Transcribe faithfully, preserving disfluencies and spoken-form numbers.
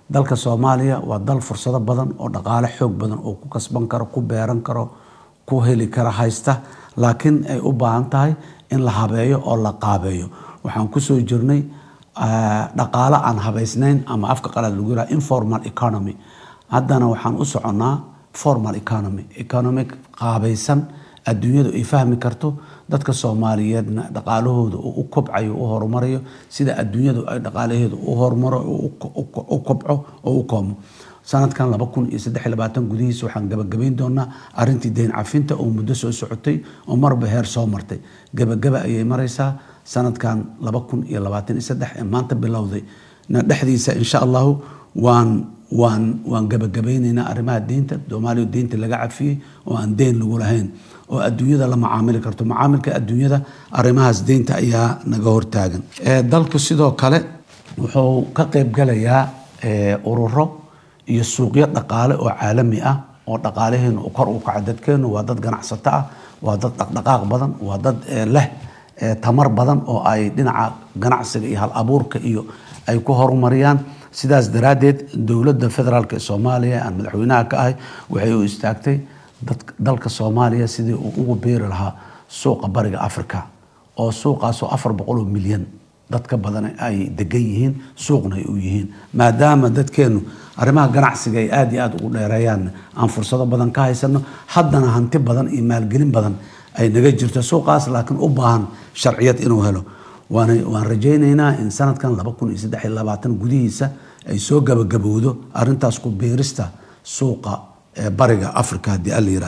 Dalka Soomaaliya waa dal fursado badan oo dhaqaale xoog badan oo ku kasban karo, ku beeran karo, ku heli kara haysta, laakiin ay u baahan tahay in la habeeyo oo la qaabeeyo. Waxaan kusoo jirnay dhaqaale aan habaysnayn, ama afka qalaad lagu yiraha informal economy. Haddana waxaan u soconnaa formal economy, economic qaabaysan, adduunyadu ay fahmi karto, dadka Soomaaliyeedna dhaqaalahooda uu u kobcayo, u horumarayo sida adduunyadu ay dhaqaalaheedu u horumaro, u kobco oo u koomo. Sanadkan laba kun iyo saddex iyo labaatan gudihiisa waxaan gabagabayn doonaa arrintii deyn cafinta oo muddo soo socotay oo marba heer soo martay. Gabagaba ayay maraysaa sanadkan laba kun iyo labaatan iyo saddex ee maanta bilowday na dhexdiisa, insha Allahu, waan waan waan gabagabaynaynaa arrimaha deynta Soomaaliya, deynta laga cafiyey oo aan deyn lagu lahayn oo adduunyada la macaamili karto. Macaamilka adduunyada arrimahaas deynta ayaa naga hortaagan. Dalku sidoo kale wuxuu ka qaybgalayaa ururo iyo suuqyo dhaqaale oo caalami ah oo dhaqaalaheenu uu kor u kaco. Dadkeenu waa dad ganacsato ah, waa dad dhaqdhaqaaq badan, waa dad leh tamar badan oo ay dhinaca ganacsiga iyo hal abuurka iyo ay ku horumariyaan. Sidaas daraaddeed dowladda federaalk ee Soomaaliya aan madaxweynaha ka ahay waxay u istaagtay dalka Soomaaliya sidii uu ugu beeri lahaa suuqa Bariga Africa, oo suuqaasoo afar boqol oo milyan dad ka badan ay degan yihiin, suuqna ay u yihiin. Maadaama dadkeenu arrimaha ganacsiga ay aada iyo aada ugu dheereeyaan, aan fursado badan ka haysano, haddana hanti badan iyo maalgelin badan ay naga jirto suuqaas, laakiin u baahan sharciyad inuu helo. waan waan rajaynaynaa in sanadkan laba kun iyo saddex iyo labaatan gudihiisa ay soo gabagabowdo arrintaas ku biirista suuqa Bariga Africa, haddii Alla yiraahdo.